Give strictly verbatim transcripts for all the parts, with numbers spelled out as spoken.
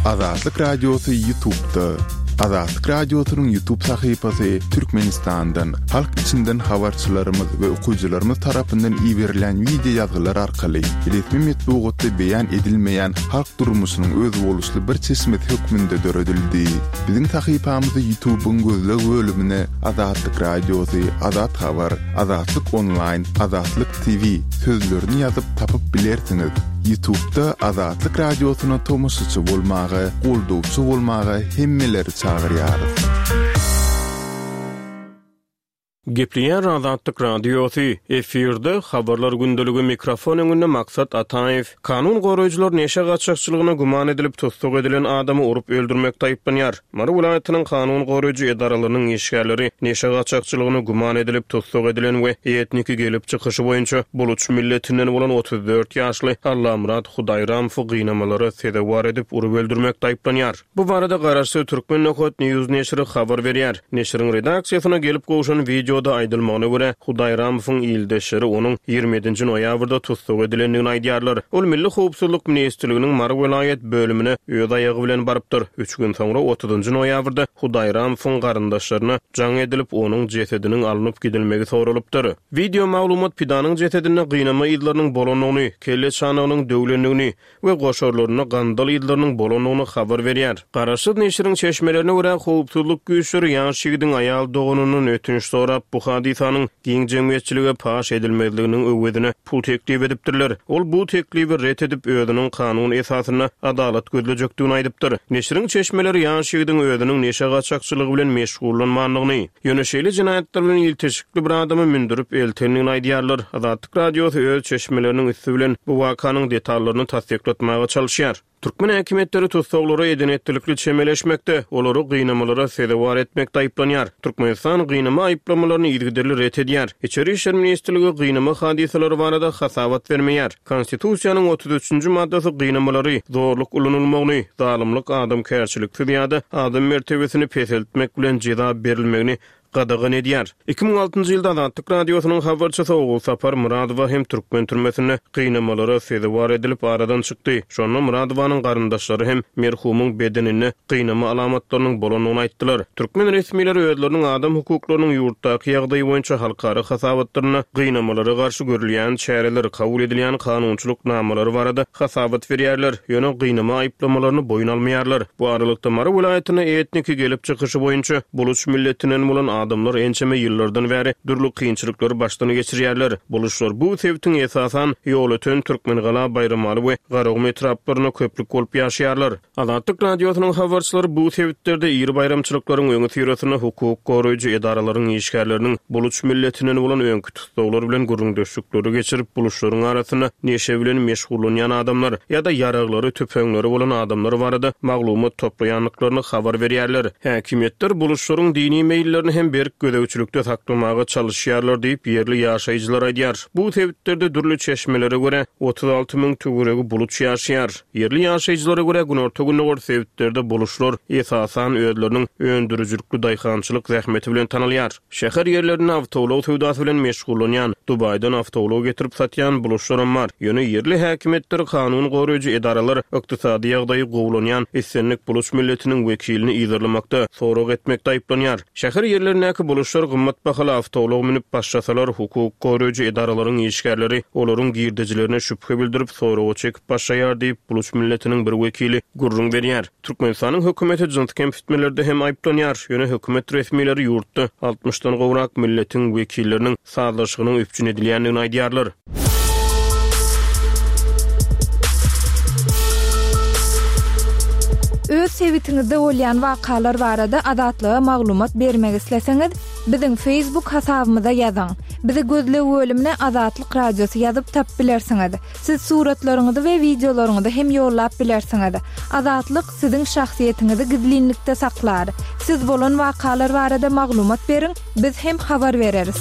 Azatlyk Radiosy YouTube'da. Azatlyk Radiosynyň YouTube sahypasy Türkmenistandan, halk içinden habarçylarymyz we okyjylarymyz tarapyndan iberilen wideo ýazgylar arkaly resmi metbugatda beýan edilmeýän halk durmuşynyň özboluşly bir çeşmesi hökmünde döredildi. Biziň sahypamyzy YouTube'yň gözleg bölümine Azatlyk Radiosy, Azat Habar, Azatlyk Online, Azatlyk T V sözlerini ýazyp tapyp bilersiňiz. YouTube'da Azatlyk Radiosyna tomaşaçy bolmaga, goldawçy bolmaga hemmeleri çagyrýarys. Gepleýär Azatlyk Radiosy, efirde habarlar gündeligi, mikrofon öňünde Maksat Ataýew. Kanun goraýjylar neşe gaçakçylygyna güman edilip tussag edilen adamy urup öldürmekde aýyplanýar. Mary welaýatynyň kanun goraýjy edaralarynyň işgärleri neşe gaçakçylygyna güman edilip tussag edilen we etniki gelip çykyşy boýunça Buluç milletinden bolan otuz dört ýaşly Allamyrat Hudaýramowy gynamalara sezewar edip urup öldürmekde aýyplanýar. Bu barada garaşsyz Türkmen Nokat News neşiri habar berýär. Neşiriň redaksiýasyna gelip gowşan videoda aýdylmagyna görä, Hudaýramowyň ildeşleri onuň ýigrimi ýedinji noýabrda tussag edilendigini aýdýarlar. Ol Milli Howpsuzlyk Ministrliginiň Mary welaýat bölümine öz aýagy bilen barypdyr. Üç gün soňra otuzynjy noýabrda Hudaýramowyň garyndaşlaryna jaň edilip, onuň jesediniň alnyp gidilmegi soralypdyr. Video maglumat pidanyň jesedinde gynama yzlarynyň bolandygyny, kelle çanagynyň döwlendigini we goşarlarynda gandal yzlarynyň bolandygyny habar berýär. Garaşsyz neşiriň çeşmelerine görä, howpsuzlyk güýçleri ýaş ýigidiň aýal doganyndan ötünç sorap, bu hadysanyň giň jemgyýetçilige paş edilmezliginiň öwezine pul teklip edipdirler. Ol bu teklibi ret edip, özüniň kanun esasynda adalat gözlejekdigini aýdypdyr. Neşiriň çeşmeleri ýaş ýigidiň özüniň neşe gaçakçylygy bilen meşgullanmandygyny, ýöne şeýle jenaýatlar bilen ilteşikli bir adamy mündürip eltendigini aýdýarlar. Azatlyk Radiosy öz çeşmeleriniň üsti bilen bu wakanyň detallaryny tassyklatmaga çalyşýar. Türkmen häkimiýetleri tussaglara edenetlilikli çemeleşmekde, olary gynamalara sezewar etmekde aýyplanýar. Türkmenistan gynama aýyplamalaryny yzygiderli ret edýär. Içeri İşler Ministrligi gynama hadysalary barada hasabat bermeýär. Konstitusiýanyň otuz üçünji maddasy gynamalary, zorluk ulanylmagyny, zalymlyk, adamkärçiliksiz ýa-da adam mertebesini peseltmek bilen jeza berilmegini gadagan edýär. Iki müň altynjy ýylda Azatlyk Radiosynyň habarçysy Ogulsapar Myradowa hem türkmen türmesinde gynamalara sezewar edilip aradan çykdy. Şonda Myradowanyň garyndaşlary hem merhumyň bedeninde gynama alamatlarynyň bolandygyny aýtdylar. Türkmen resmileri özleriniň adam hukuklarynyň ýurtdaky ýagdaýy boýunça halkara hasabatlarynda gynamalara garşy görülýän çäreler, kabul edilýän kanunçylyk namalary barada hasabat berýärler. Ýöne gynama aýyplamalaryny boýun almaýarlar. Bu aralykda Mary welaýatynda etniki gelip çykyşy boýunça Buluç milletinden bolan adamlar ençeme ýyllardan bäri dürli kynçylyklary başdan geçirýärler. Buluşlar bu sebitiň esasan Ýolöten, Türkmengala, Baýramaly we Garagum etraplarynda köplük bolup ýaşaýarlar. Azatlyk Radiosynyň habarçylary bu sebitlerde iri baýramçylyklaryň öňi syrasynda hukuk goraýjy edaralaryň işgärleriniň Buluç milletinden bolan öňki tussaglar bilen gürrüňdeşlikleri geçirip, buluşlaryň arasynda neşe bilen meşgullanýan adamlar ýa-da ýaraglary, tüpeňleri bolan adamlar barada maglumat toplaýandyklaryny habar berýärler. Häkimiýetler buluşlaryň dini meýillerini hem berk gözegçilikde saklamaga çalyşýarlar diýip ýerli ýaşaýjylar aýdýar. Bu sebitlerde dürli çeşmelere görä otuz alty müň töweregi buluç ýaşaýar. Ýerli ýaşaýjylara görä günorta gündogar sebitlerde buluşlar esasan özleriniň öndürijilikli daýhançylyk zähmeti bilen tanalýar. Şäher ýerlerinde awtoulag söwdasy bilen meşgullanýan, Dubaýdan awtoulag getirip satýan buluşlaram bar. Ýöne ýerli häkimiýetler, kanun goraýjy edaralar ykdysady ýagdaýy gowulanýan islendik buluç milletiniň wekilini yzarlamakda, sorag etmekde aýyplanýar. Şäher ýerlerindäki buluşlar gymmat bahaly awtoulag münüp başlasalar, hukuk goraýjy edaralaryň işgärleri olaryň girdejilerine şübhe bildirip soraga çekip başlaýar diýip buluç milletiniň bir wekili gürrüň berýär. Türkmenistanyň hökümeti jyns kemsitmelerde hem aýyplanýar. Ýöne hökümet resmileri ýurtda altmyşdan gowrak milletiň wekilleriniň sazlaşygynyň üpjün edilýändigini aýdýarlar. Öz sebitiňizde bolýan wakalar barada Azatlyga maglumat bermek isleseňiz, biziň Facebook hasabymyza ýazyň. Bizi gözleg bölümine Azatlyk Radiosy ýazyp tap bilersiňiz. Siz suratlaryňyzy we videolaryňyzy hem ýollap bilersiňiz. Azatlyk siziň şahsyýetiňizi gizlinlikde saklar. Siz bolan wakalar barada maglumat beriň, biz hem habar bereris.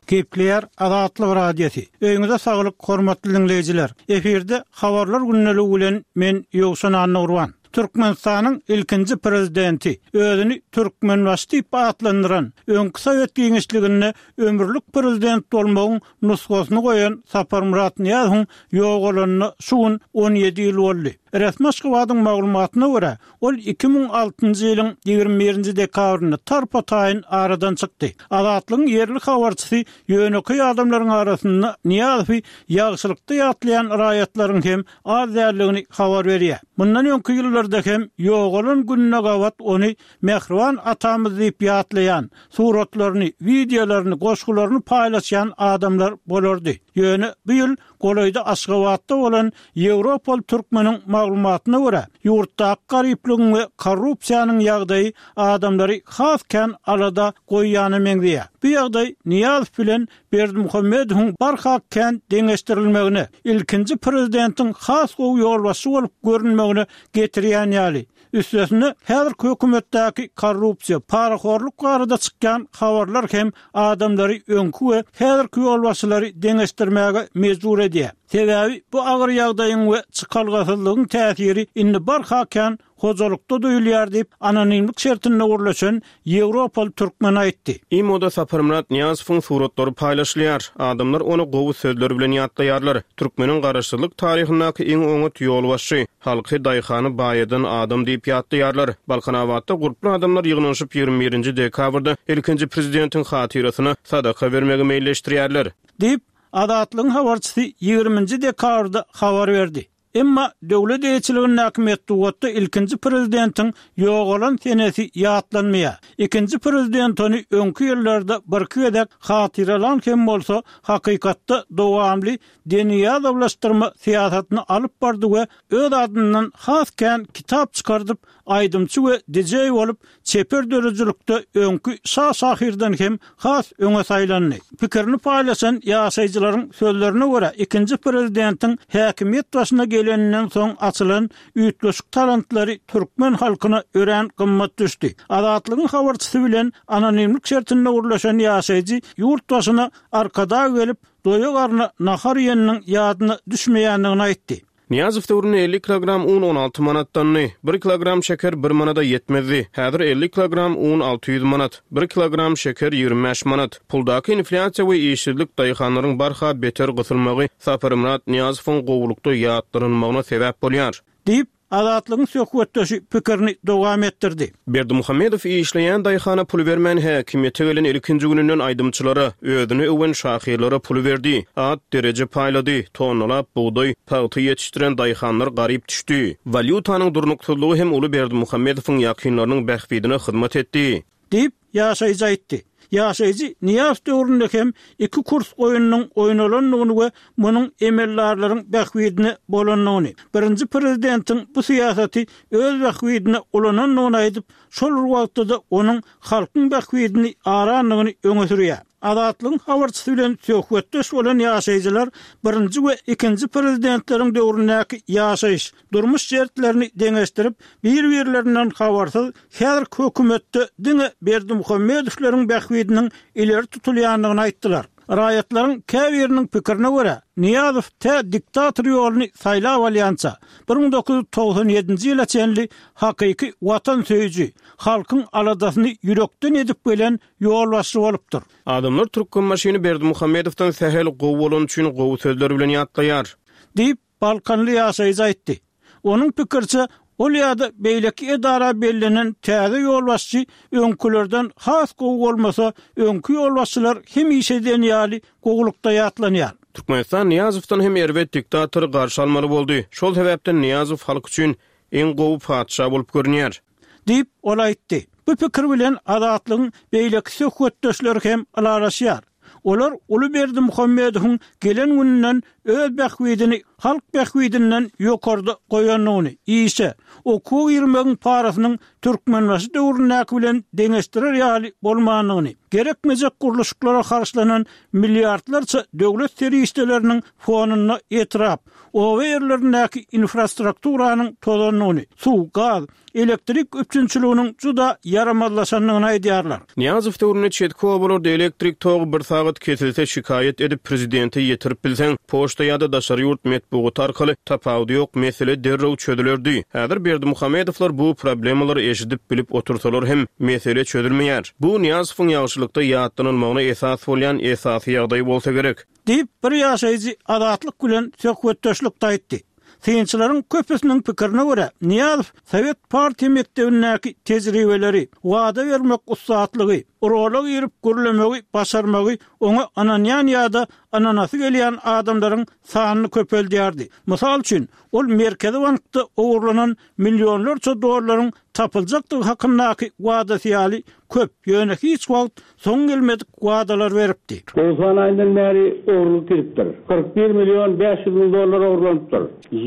Gepleýär Azatlyk Radiosy. Öýüňize saglyk, hormatly dinleýjiler. Efirde habarlar gündeligi bilen men Ýowşan Annagurban. Türkmenistanyň ilkinji prezidenti, özüni Türkmenbaşy diýip atlandyran, öňki sowet giňişliginde ömürlik prezident bolmagyň nusgasyny goýan Saparmyrat Nyýazowyň ýogalanyna şu gün on ýedi ýyl boldy. Resmi Aşgabadyň maglumatyna görä, ol iki müň altynjy ýylyň ýigrimi birinji dekabrynda tarpa-taýyn aradan çykdy. Azatlygyň ýerli habarçysy ýönekeý adamlaryň arasynda Nyýazowy ýagşylykda ýatlaýan raýatlaryň hem az däldigini habar berýär. Mundan öňki ýyllarda hem ýogalan gününe gabat ony mähriban atamyz diýip ýatlaýan, suratlaryny, wideolaryny, goşgularyny paýlaşýan adamlar bolardy. Ýöne bu ýyl golaýda Aşgabatda bolan Ýewropaly türkmeniň maglumatyna görä, ýurtdaky garyplygyň we korrupsiýanyň ýagdaýy adamlary has kän alada goýýana meňzeýär. Bu ýagdaý Nyýazow bilen Berdimuhamedowyň barha kän deňeşdirilmegine, ilkinji prezidentiň has gowy ýolbaşçy bolup görünmegine getirýän ýaly. Üstesine, häzirki hökümetdäki korrupsiýa, parahorluk barada çykýan habarlar hem adamlary öňki we häzirki ýolbaşçylary deňeşdirmäge mejbur edýär. Sebäbi bu agyr ýagdaýyň we çykalgasyzlygyň täsiri indi barha kän hojalykda duýulýar diýip, anonimlik şertinde gürleşen Ýewropaly türkmen aýtdy. Imoda Saparmyrat Nyýazowyň suratlary paýlaşylýar. Adamlar ony gowy sözler bilen ýatlaýarlar. Türkmeniň garaşsyzlyk taryhyndaky iň oňat ýolbaşçy, halky, daýhany baýadan adam diýip ýatlaýarlar. Balkanabatda gurply adamlar ýygnanyşyp ýigrimi birinji dekabrda ilkinji prezidentiň hatyrasyna sadaka bermegi meýilleşdirýärler. Diýip, Azatlygyň habarçysy ýigriminji dekabrda habar berdi. Emma döwlet eýeçiligindäki metbugatda ilkinji prezidentiň ýogalan senesi ýatlanmaýar. Ikinji prezident ony öňki ýyllarda birki gezek hatyralan hem bolsa, hakykatda dowamly deniýazowlaşdyrma syýasatyny alyp bardy we öz adyndan has kän kitap çykardyp, aýdymçy we dijeý bolup, çeper döredijilikde öňki şa şahyrdan hem has öňe saýlandy. Pikirini paýlaşan ýaşaýjylaryň sözlerine görä, ikinji prezidentiň häkimiýet başyna geleninden soň açylan üýtgeşik talantlary türkmen halkyna örän gymmat düşdi. Azatlygyň habarçysy bilen anonimlik şertinde gürleşen ýaşaýjy ýurt başyna Arkadag gelip, doýa garna nahar iýeniniň ýadyna düşmeýändigini aýtdy. Nyýazow döwründe elli kilogram un on alty manatdandy. Bir kilogram şeker bir manada ýetmezdi. Häzir elli kilogram un alty ýüz manat, bir kilogram şeker ýigrimi bäş manat. Puldaky inflýasiýa we işsizlik daýhanlaryň barha beter gysylmagy Saparmyrat Nyýazowyň gowulykda ýatlanylmagyna sebäp bolýar. Diýip, Azatlygyň söhbetdeşi pikirini dowam etdirdi. Berdimuhamedow işleýän daýhana pul bermän häkimiýete gelen ilkinji gününden aýdymçylara, özüni öwen şahyrlara puly berdi, at, dereje paýlady, tonnalap bugdaý, pagta ýetişdiren daýhanlar garyp düşdi. Walýutanyň durnuksyzlygy hem uly Berdimuhamedowyň ýakynlarynyň bähbidine hyzmat etdi. Diýip, ýaşaýjy aýtdy. Ýaşaýjy Nyýazow döwründe hem iki kurs oýnunyň oýnalandygyny we munuň emeldarlaryň bähbidine bolandygyny, birinji prezidentiň bu syýasaty öz bähbidine ulanandygyny aýdyp, şol bir wagtda-da onuň halkyň bähbidini arandygyny öňe sürýär. Azatlygyň habarçysy bilen söhbetdeş bolan ýaşaýjylar birinji we ikinji prezidentleriň döwründäki ýaşaýyş, durmuş şertlerini deňeşdirip, bir-birlerinden habarsyz häzirki hökümetde diňe Berdimuhamedowlaryň bähbidiniň ileri tutulýandygyny aýtdylar. Raýatlaryň käbiriniň pikirine görä, Nyýazow tä diktator ýoluny saýlap alýança, bir müň dokuz ýüz togsan ýedinji ýyla çenli hakyky watansöýüji, halkyň aladasyny ýürekden edip gelen ýolbaşçy bolupdyr. Adamlar Türkmenbaşyny Berdimuhamedowdan sähel gowy bolan üçin gowy sözler bilen ýatlaýar. Diýip, Balkanly ýaşaýjy aýtdy. Onuň pikiriçe, ol ýa-da beýleki edara bellenen täze ýolbaşçy öňkülerden has gowy bolmasa, öňki ýolbaşçylar hemişe diýen ýaly gowulykda ýatlanýar. Türkmenistan Nyýazowdan hem erbet diktatory garşy almaly boldy. Şol sebäpden Nyýazow halk üçin iň gowy patyşa bolup görünýär. Diýip, ol aýtdy. Bu pikir bilen Azatlygyň beýleki söhbetdeşleri hem ylalaşýar. Olar uly Berdimuhamedowyň gelen gününden öz bähbidini halk bähbidinden ýokarda goýandygyny, işe, okuwa girmegiň parasynyň Türkmenbaşy döwründäki bilen deňeşdirer ýaly bolmandygyny, Gerekmejek gurluşyklara harçlanan milliardlarça döwlet serişdeleriniň fonunda etrap, oba ýerlerindäki infrastrukturanyň tozandygyny, suw, gaz, elektrik üpjünçiliginiň juda ýaramazlaşandygyny aýdýarlar. Nyýazow döwründe çetki obalarda elektrik togy bir sagat kesilse şikaýat edip prezidente ýetirip bilseň, poçta ýa-da daşary ýurt metbugaty arkaly tapawudy ýok mesele derrew çözülerdi. Häzir Berdimuhamedowlar bu problemalary eşidip bilip otursalar hem mesele çözülmeýär. Bu Nyýazowyň ýagşylykda ýatlanylmagyna esas bolýan esasy ýagdaý bolsa gerek. Diýip, bir ýaşaýjy Azatlyk bilen söhbetdeşlikde aýtdy. Synçylaryň köpüsiniň pikirine görä, Nyýazow Sowet partiýa mekdebindäki tejribeleri, wada bermek ussatlygy, rola girip gürlemegi başarmagy oňa ynanýan ýa-da ynanasy gelýän adamlaryň sanyny köpeldýärdi. Mysal üçin, ol Merkezi bankda ogurlanan millionlarça dollaryň tapyljakdygy hakyndaky wadasy ýaly köp, ýöne hiç wagt soň gelmedik wadalar beripdi. Togsan aýyndan bäri ogurlyk gidipdir. Kyrk bir million bäş ýüz müň dollar ogurlanypdyr.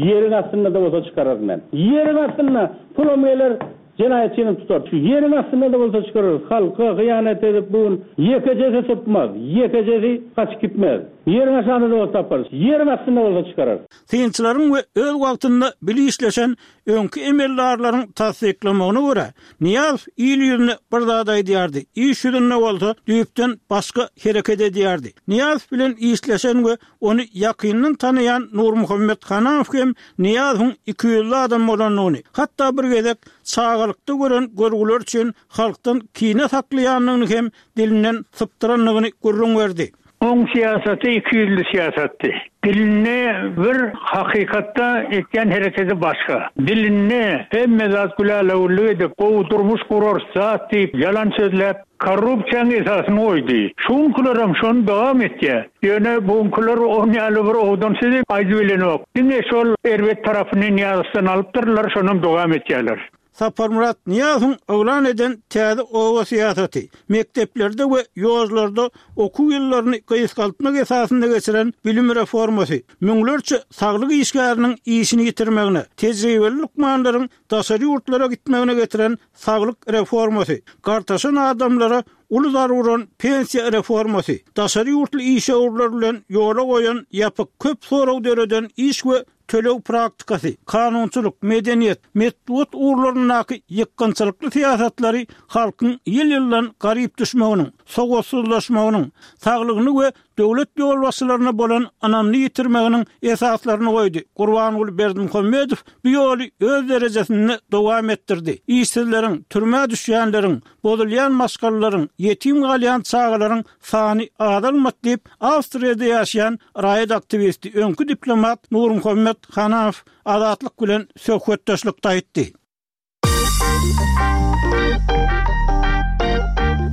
Ýeriň astynda-da bolsa çykararyn men. Ýeriň astynda pulam geler, jenaýatçyny tutar. Şu ýeriň astynda-da bolsa çykararys. Halka hyýanat edip bu gün ýekejesi sypmaz, ýekejesi gaçyp gitmez. Ýeriň aşagynda-da bolsa taparys. Ýeriň astynda bolsa çykararys. Synçylaryň we öz wagtynda bile işleşen öňki emeldarlaryň tassyklamagyna görä, Nyýazow il ýüzüne bir zat aýdýardy, iş ýüzünde bolsa düýpden başga hereket edýärdi. Nyýazow bilen işleşen we ony ýakyndan tanaýan Nurmuhammet Hanamow hem Nyýazowyň ikiýüzli adam bolandygyny, hatda bir gezek çagalykda gören görgüleri üçin halkdan kine saklaýandygyny hem dilinden sypdyrandygyny gürrüň berdi. Oň syýasaty ikiýüzli syýasatdy. Dilinde bir, hakykatda etýän hereketi başga. Dilinde hemme zat gülälewürlik edip, gowy durmuş gurarys zat diýip ýalan sözläp, korrupsiýanyň esasyny goýdy. Şuňkular hem şony dowam etýär. Ýöne buňkular on ýaly bir owadan sözi aýdyp bilenok. Diňe şol erbet tarapyny Nyýazowdan alypdyrlar, şonam dowam etýärler. Saparmyrat Nyýazowyň yglan eden täze oba syýasaty, mekdeplerde we ýollarda okuw ýyllaryny gysgaltmak esasynda geçiren bilim reformasy, müňlerçe saglyk işgäriniň işini ýitirmegine, tejribeli lukmanlaryň daşary ýurtlara gitmegine getiren saglyk reformasy, gartaşan adamlara uly zaruran pensiýa reformasy, daşary ýurtly işewürler bilen ýola goýan ýapyk köp sorag döreden iş we töleg praktikasy, kanunçylyk, medeniýet, metbugat ugurlaryndaky ýykgynçylykly syýasatlary halkyň ýyl-ýyldan garyp düşmeginiň, sowatsyzlaşmagynyň, saglygyny we döwlet ýolbaşçylaryna bolan ynamyny ýitirmeginiň esaslaryny goýdy. Gurbanguly Berdimuhamedow bu ýoly öz derejesinde dowam etdirdi. Işsizleriň, türmä düşýänleriň, bozulýan maşgalalaryň, ýetim galýan çagalaryň sany azalmady diýip, Awstriýada ýaşaýan raýat aktiwisti, öňki diplomat Nurmuhammet Hanamow Azatlyk bilen söhbetdeşlikde aýtdy.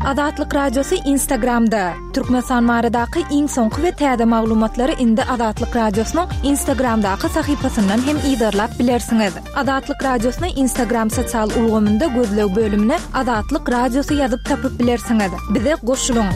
Azatlyk Radiosy Instagramda. Türkmenistan baradaky iň soňky we täze maglumatlary indi Azatlyk Radiosynyň Instagramdaky sahypasyndan hem yzarlap bilersiňiz. Azatlyk Radiosyny Instagram sosial ulgamynda gözleg bölümine Azatlyk Radiosy ýazyp tapyp bilersiňiz. Bize goşulyň.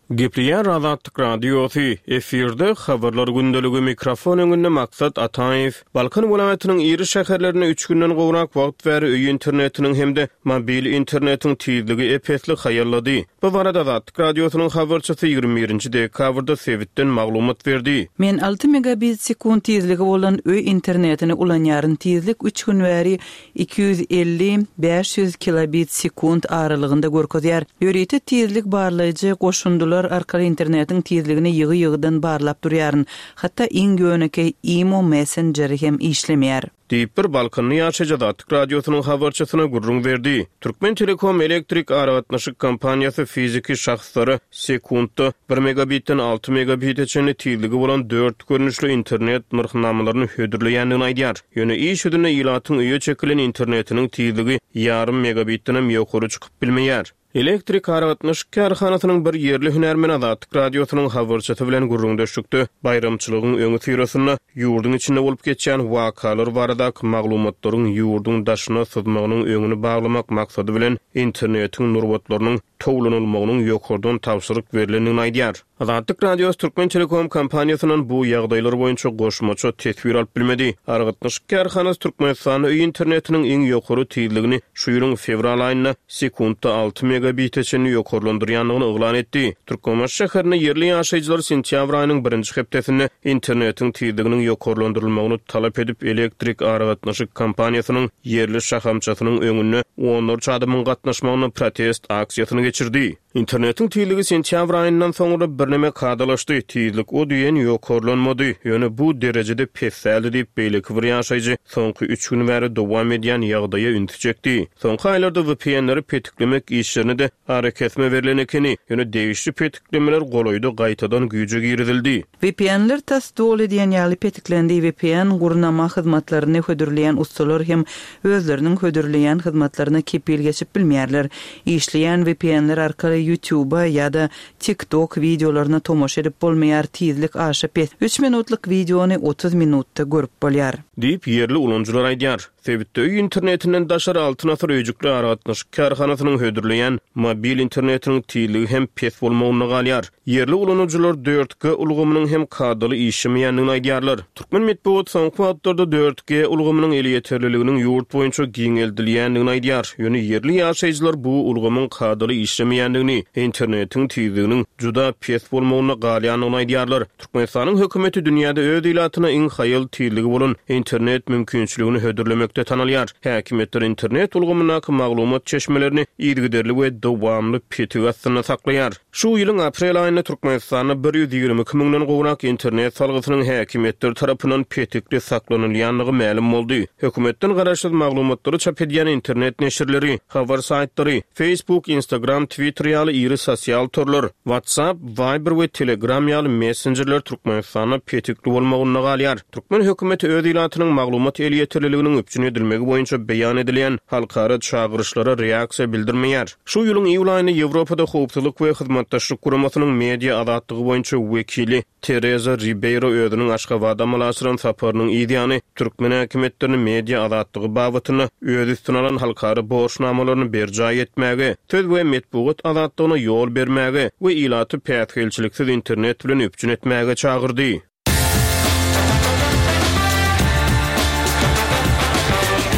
Gepleýär Azatlyk Radiosy, efirde habarlar gündeligi, mikrofon öňünde Maksat Ataýew. Balkan welaýatynyň iri şäherlerinde üç günden gowrak wagt bäri öý internetiniň hem-de mobil internetiň tizligi ep-esli haýallady. Bu barada Azatlyk Radiosynyň habarçysy ýigrimi birinji dekabrda sebitden maglumat berdi. Men alty megabit sekund tizligi bolan öý internetini ulanýaryn. Tizlik üç gün bäri iki ýüz elli, bäş ýüz kilobit sekund aralygynda görkezýär. Ýörite tizlik barlaýjy goşundylar arkaly internetiň tizligini ýygy-ýygydan barlap durýaryn. Hatda iň ýönekeý imo messengeri hem işlemeýär. Diýip bir Balkanly ýaşaýjy Azatlyk Radiosynyň habarçysyna gürrüň berdi. Türkmen Telekom elektrik aragatnaşyk kompaniýasy fiziki şahslara sekuntda bir megabitden alty megabite çenli tizligi bolan dört görnüşli internet nyrhnamalaryny hödürleýändigini aýdýar. Ýöne iş ýüzünde ilatyň öýe çekilen internetiniň tizligi ýarym megabitden hem ýokary çykyp bilmeýär. Elektrik aragatnaşyk kärhanasynyň bir ýerli hünärmeni Azatlyk Radiosynyň habarçysy bilen gürrüňdeşlikde baýramçylygyň öňi syrasynda ýurduň içinde bolup geçýän wakalar baradaky maglumatlaryň ýurduň daşyna syzmagynyň öňüni baglamak maksady bilen internetiň nurbatlarynyň towlanylmagynyň ýokardan tabşyryk berlendigini aýdýar. Azatlyk Radiosy Türkmen Telekom kompaniýasyndan bu ýagdaýlar boýunça goşmaça teswir alyp bilmedi. Aragatnaşyk kärhanasy Türkmenistanda öý internetiniň iň ýokary tizligini şu ýylyň fewral aýynda sekuntda alty megabite çenli ýokarlandyrýandygyny yglan etdi. Türkmenbaşy şäherinde ýerli ýaşaýjylar sentýabr aýynyň birinji hepdesinde internetiň tizliginiň ýokarlandyrylmagyny talap edip elektrik aragatnaşyk kompaniýasynyň ýerli şahamçasynyň öňünde onlarça adamyň gatnaşmagyna protest aksiýasyny geçirdi. Internetiň tizligi sentýabr aýyndan soňra birneme kadalaşdy. Tizlik o diýen ýokarlanmady. Ýöne bu derejede pes däldi diýip beýleki bir ýaşaýjy soňky üç gün bäri dowam edýän ýagdaýa ünsi çekdi. Soňky aýlarda V P N-leri petiklemek işlerine de arakesme berlen ekeni. Ýöne degişli petiklemeler golaýda gaýtadan güýje girizildi. V P N-ler tas doly diýen ýaly petiklendi. V P N gurnama hyzmatlaryny hödürleýän ustalar hem özleriniň hödürleýän hyzmatlaryna kepil geçip bilmeýärler. Işleýän V P N-ler arkaly YouTube'a ýa-da TikTok wideolaryna tomaşa edip bolmaýar, tizlik aşa pes. Üç minutlyk wideony otuz minutda görüp bolýar. Diýip ýerli ulanyjylar aýdýar. Sebitde öý internetinden daşary Altyn Asyr öýjükli aragatnaşyk kärhanasynyň hödürleýän mobil internetiniň tizligi hem pes bolmagynda galýar. Ýerli ulanyjylar dört G ulgamynyň hem kadaly işlemeýändigini aýdýarlar. Türkmen metbugat soňky wagtlarda dört G ulgamynyň elýeterliliginiň ýurt boýunça giňeldilýändigini aýdýar. Ýöne ýerli ýaşaýjylar bu ulgamyň kadaly işlemeýändigini, internetiň tizliginiň juda pes bolmagynda galýandygyny aýdýarlar. Türkmenistanyň hökümeti dünýäde öz ilatyna iň haýal tizligi bolan internet mümkinçiligini hödürlemekde tanalýar. Häkimiýetler internet ulgamyndaky maglumat çeşmelerini yzygiderli we dowamly petik astynda saklaýar. Şu ýylyň aprel aýynda Türkmenistanda bir ýüz ýigrimi iki müňden gowrak internet salgysynyň häkimiýetler tarapyndan petikli saklanylýandygy mälim boldy. Hökümetden garaşsyz maglumatlary çap edýän internet neşirleri, habar saýtlary, Facebook, Instagram, Twitter ýaly iri sosial torlar, WhatsApp, Viber we Telegram ýaly messenjerler Türkmenistanda petikli bolmagynda galýar. Türkmen hökümeti öz ilatynyň maglumat elýeterliliginiň üpjün edilmegi boýunça beýan edilýän halkara çagyryşlara reaksiýa bildirmeýär. Şu ýylyň iýul aýynda Ýewropada howpsuzlyk we hyzmatdaşlyk guramasynyň media azatlygy boýunça wekili Teresa Ribeiro özüniň Aşgabada amala aşyran saparynyň ýany türkmen häkimiýetlerini media azatlygy babatynda öz üstüne alan halkara borçnamalaryny berjaý etmäge, söz we metbugat azatlygyna ýol bermäge we ilaty päsgelçiliksiz internet bilen üpjün etmäge çagyrdy.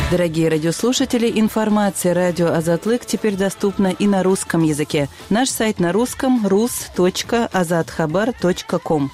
Дорогие радиослушатели, информация радио Азатлык теперь доступна и на русском языке. Наш сайт на русском рус точка азатхабар точка ком.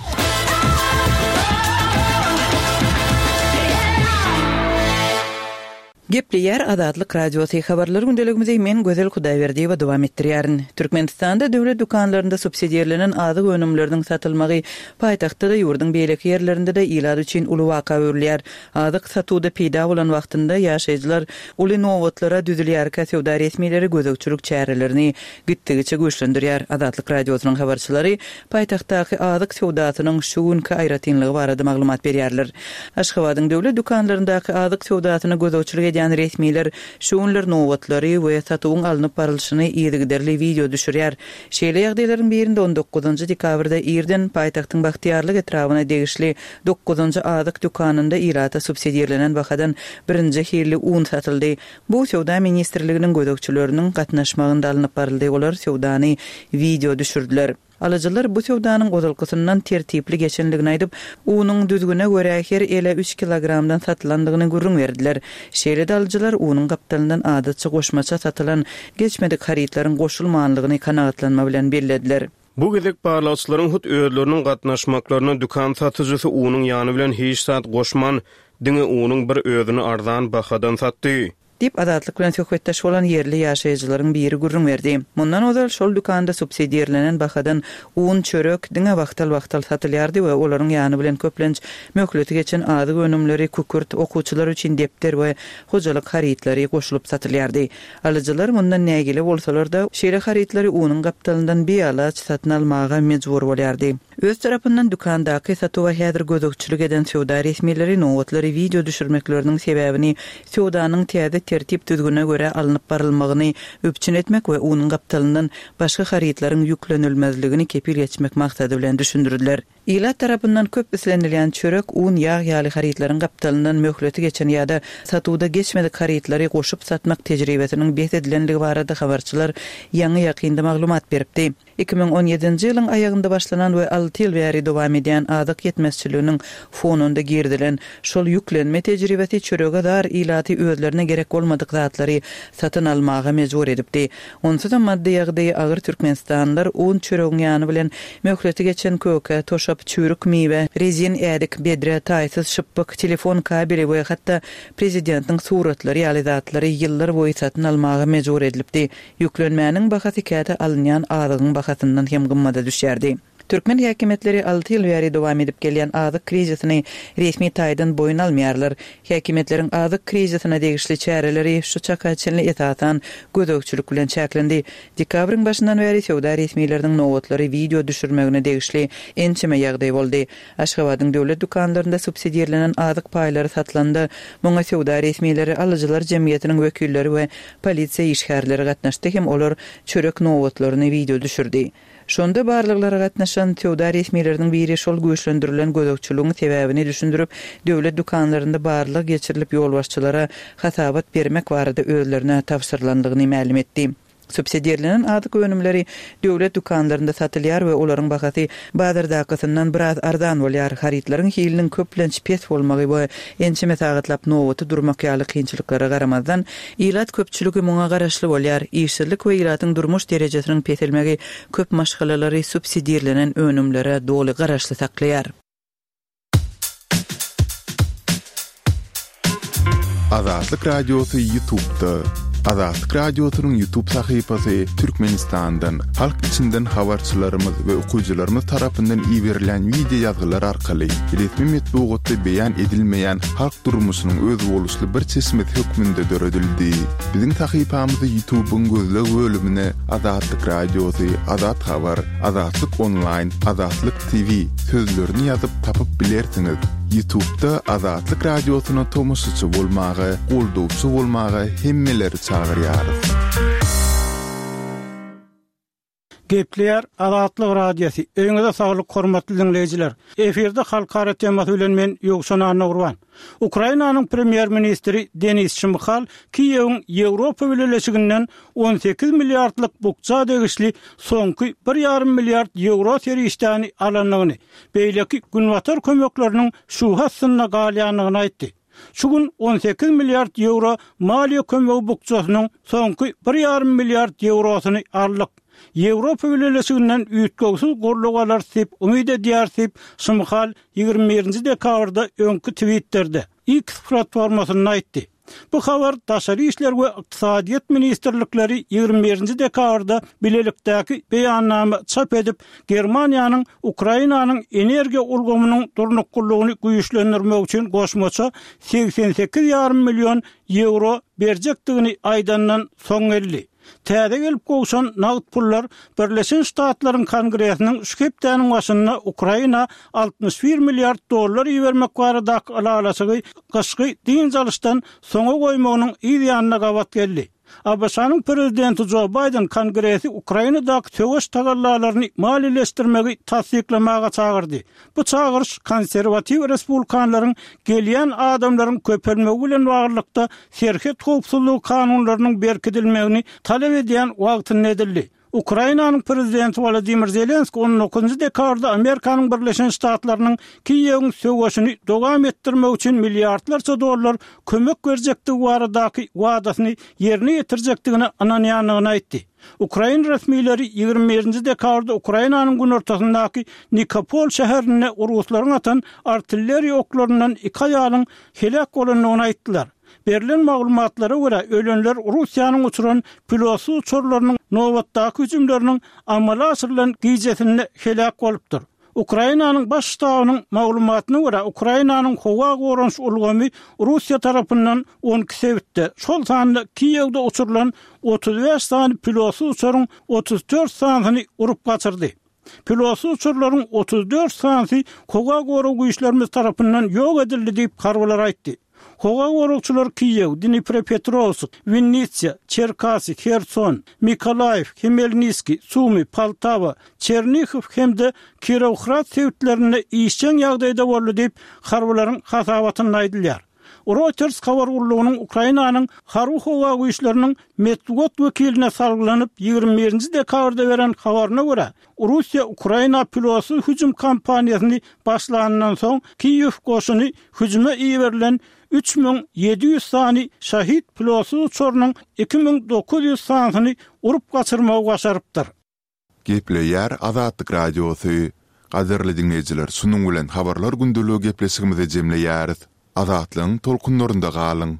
Gepleýär Azatlyk Radiosy habarlar gündeligimizi men Gözel Hudaýberdiýewa dowam etdirýärin. Türkmenistanda döwlet dükanlarynda subsidiýerlenen azyk önümleriniň satylmagy paýtagtda-da ýurduň beýleki ýerlerinde-de ilat üçin uly waka öwrülýär. Azyk satuwda peýda bolan wagtynda ýaşaýjylar uly nobatlara düzülýärkä söwda resmileri gözegçilik çärelerini gitdigiçe güýçlendirýär. Azatlyk Radiosynyň habarçylary paýtagtdaky azyk söwdasynyň şu günki aýratynlygy barada maglumat berýärler. Aşgabadyň döwlet dükanlaryndaky azyk söwdasyna gözegçilik edýän resmiler şu günler nobatlary we satuwyň alnyp barylşyny yzygiderli wideo düşürýär. Şeýle ýagdaýlaryň birinde on dokuzynjy dekabrda irden paýtagtyň Bagtyýarlyk etrabyna degişli dokuzynjy azyk dükanynda ilata subsidiýerlenen bahadan birinji hilli un satyldy. Bu söwda ministrliginiň gözegçileriniň gatnaşmagynda alnyp baryldy. Olar söwdany wideo düşürdüler. Alyjylar bu söwdanyň ozalkysyndan tertipli geçenligini aýdyp, unuň düzgüne görä her ele üç kilogramdan satylandygyny gürrüň berdiler. Şeýle-de alyjylar unuň gapdalyndan adatça goşmaça satylan geçmedik harytlaryň goşulmanlygyny kanagatlanma bilen bellediler. Bu gezek barlagçylaryň hut özleriniň gatnaşmaklaryna dükan satyjysy unuň ýany bilen hiç zat goşman, diňe unuň bir özüni arzan bahadan satdy. Diýip Azatlyk bilen söhbetdeş bolan ýerli ýaşaýjylaryň biri gürrüň berdi. Mundan ozal şol dükanda subsidiýerlenen bahadan un, çörek diňe wagtal-wagtal satylýardy we olaryň ýany bilen köplenç möhleti geçen azyk önümleri, kükürt, okuwçylar üçin depder we hojalyk harytlary goşulyp satylýardy. Alyjylar mundan nägile bolsalar-da, şeýle harytlary unuň gapdalyndan bialaç satyn almaga mejbur bolýardy. Öz tarapyndan dükandaky satuwa häzir gözegçilik eden söwda resmileri nobatlary wideo düşürmekleriniň sebäbini söwdanyň täze tertip-düzgüne görä alnyp barylmagyny üpjün etmek we unuň gapdalyndan başga harytlaryň ýüklenilmezligini kepil geçmek maksady bilen düşündirdiler. Ilat tarapyndan köp islenilýän çörek, un, ýag ýaly harytlaryň gapdalyndan möhleti geçen ýa-da satuwda geçmedik harytlary goşup satmak tejribesiniň bes edilenligi barada habarçylar ýaňy-ýakynda maglumat beripdi. Iki müň on ýedinji ýylyň aýagynda başlanan we alty ýyl bäri dowam edýän azyk ýetmezçiliginiň fonunda girizilen şol ýüklenme tejribesi çörege zar ilaty özlerine gerek bolmadyk zatlary satyn almaga mejbur edipdi. Onsuzam maddy ýagdaýy agyr türkmenistanlylar un çöregiň ýany bilen möhleti geçen köke, toşap, çüýrük miwe, rezin ädik, bedre, taýsyz şypbyk, telefon kabeli we hatda prezidentiň suratlary ýaly zatlary ýyllar boýy satyn almaga mejbur edilipdi. Ýüklenmäniň bahasy käte alynýan azygyň bahasyndan hem gymmada düşýärdi. Türkmen häkimiýetleri alty ýyl bäri dowam edip gelýän azyk krizisini resmi taýdan boýun almaýarlar. Häkimiýetleriň azyk krizisine degişli çäreleri şu çaka çenli esasan gözegçilik bilen çäklendi. Dekabryň başyndan bäri söwda resmileriniň nobatlary wideo düşürmegine degişli ençeme ýagdaý boldy. Aşgabadyň döwlet dükanlarynda subsidirlenen azyk paýlary satylanda, muňa söwda resmileri, alyjylar jemgyýetiniň wekilleri we polisiýa işgärleri gatnaşdy hem olar çörek nobatlaryny wideo düşürdi. Şonda barlaglara gatnaşan söwda resmileriniň biri şol güýçlendirilen gözegçiligiň sebäbini düşündirip, döwlet dükanlarynda barlag geçirilip ýolbaşçylara hasabat bermek barada özlerine tabşyrylandygyny mälim etdi. Subsidirlenen azyk önümleri döwlet dükanlarynda satylýar we olaryň bahasy bazardakysyndan biraz arzan bolýar. Harytlaryň hiliniň köplenç pes bolmagy we ençeme sagatlap nobaty durmak ýaly kynçylyklara garamazdan, ilat köpçüligi muňa garaşly bolýar. Işsizlik we ilatyň durmuş derejesiniň peselmegi köp maşgalalary subsidirlenen önümlere doly garaşly saklaýar. Azatlyk Radiosy YouTube'da. Azatlyk Radiosynyň YouTube sahypasy Türkmenistandan, halk içinden habarçylarymyz we okyjylarymyz tarapyndan iberilen wideo ýazgylar arkaly resmi metbugatda beýan edilmeýän halk durmuşynyň özboluşly bir çeşmesi hökmünde döredildi. Biziň sahypamyzy YouTube'yň gözleg bölümine Azatlyk Radiosy, Azat Habar, Azatlyk Online, Azatlyk T V sözlerini ýazyp tapyp bilersiňiz. YouTube'da Azatlyk Radiosyna tomaşaçy bolmaga, goldawçy bolmaga hemmeleri çagyrýarys. Gepleýär Azatlyk Radiosy. Öýüňize saglyk hormatly dinleýjiler. Efirde halkara temasy bilen men Ýowşan Annagurban. Ukrainanyň premýer-ministri Denis Şmyhal Kiýewiň Ýewropa Bileleşiginden on sekiz milliardlyk bukja degişli soňky bir ýarym milliard ýewro serişdäni alandygyny, beýleki günbatar kömekleriniň şuha astynda galýandygyny aýtdy. Şu gün on sekiz milliard ýewro maliýe kömegi bukjasynyň soňky bir ýarym milliard ýewrosyny aldyk. Ýewropa Bileleşiginden üýtgewsiz goldaw alarys diýip umyt edýär diýip Şmyhal ýigrimi birinji dekabrda öňki Twitter'de X platformasynda aýtdy. Bu habar Daşary işler we Ykdysadyýet ministrlikleri ýigrimi birinji dekabrda bilelikdäki beýannama çap edip, Germaniýanyň Ukrainanyň energiýa ulgamynyň durnuklylygyny güýçlendirmek üçin goşmaça segsen sekiz ýarym million ýewro berjekdigini aýdandan soň geldi. Täze gelip gowşan nagt pullar Birleşen Ştatlaryň Kongresiniň şu hepdäniň başynda Ukraina altmyş bir milliard dollar ibermek baradaky ylalaşygy gyşky dynç alyşdan soňa goýmagynyň yz ýanyna gabat geldi. A B Ş-nyň prezidenti Joe Biden Kongresi Ukrainadaky söweş tagallalaryny maliýeleşdirmegi tassyklamaga çagyrdy. Bu çagyryş konserwatiw respublikanlaryň gelýän adamlaryň köpelmegi bilen baglylykda serhet howpsuzlygy kanunlarynyň berkidilmegini talap edýän wagtynda edildi. Ukrainanyň prezidenti Wladimir Zelenski on dokuzynjy dekabrda Amerikanyň Birleşen Ştatlarynyň Kiýewiň söweşini dowam etdirmek üçin milliardlarça dollar kömek berjekdigi baradaky wadasyny ýerine ýetirjekdigine ynanýandygyny aýtdy. Ukrain resmileri ýigrimi birinji dekabrda Ukrainanyň günortasyndaky Nikopol şäherinde ruslaryň atan artilleriýa oklaryndan iki aýalyň heläk bolandygyny aýtdylar. Berlen maglumatlara görä ölenler Russiýanyň uçuran pilotsyz uçarlarynyň nobatdaky hüjümleriniň amala aşyrylan gijesinde heläk bolupdyr. Ukrainanyň baş ştabynyň maglumatyna görä Ukrainanyň howa goranyş ulgamy Russiýa tarapyndan on iki sebitde, şol sanda Kiýewde uçurylan otuz bäş sany pilotsyz uçaryň otuz dört sanysyny urup gaçyrdy. Pilotsyz uçarlaryň otuz dört sanysy howa gorag güýçlerimiz tarapyndan ýok edildi diýip, harbylar aýtdy. Howa goragçylary Kiýew, Dniprepetrowsk, Winnitsa, Çerkasy, Herson, Mykolaýiw, Hmelniskiý, Sumy, Poltawa, Çernihiw hem-de Kirowhrad sebitlerinde işjeň ýagdaýda boldy diýip, harbylaryň hasabatynda aýdylýar. Reuters habar gullugynyň Ukrainanyň Harby-howa güýçleriniň metbugat wekiline salgylanyp, ýigrimi birinji dekabrda beren habaryna görä, Russiýa Ukraina pilotsyz hüjüm kampaniýasyny başlanyndan soň, Kiýew goşuny hüjüme iberilen üç müň ýedi ýüz sany Şahid pilotsyz uçarynyň iki müň dokuz ýüz sanysyny urup gaçyrmagy başarypdyr. Gepleýär Azatlyk Radiosy. Gadyrly diňleýjiler, şunuň bilen Habarlar gündeligi gepleşigimizi jemleýäris. Azatlygyň tolkunlarynda galyň!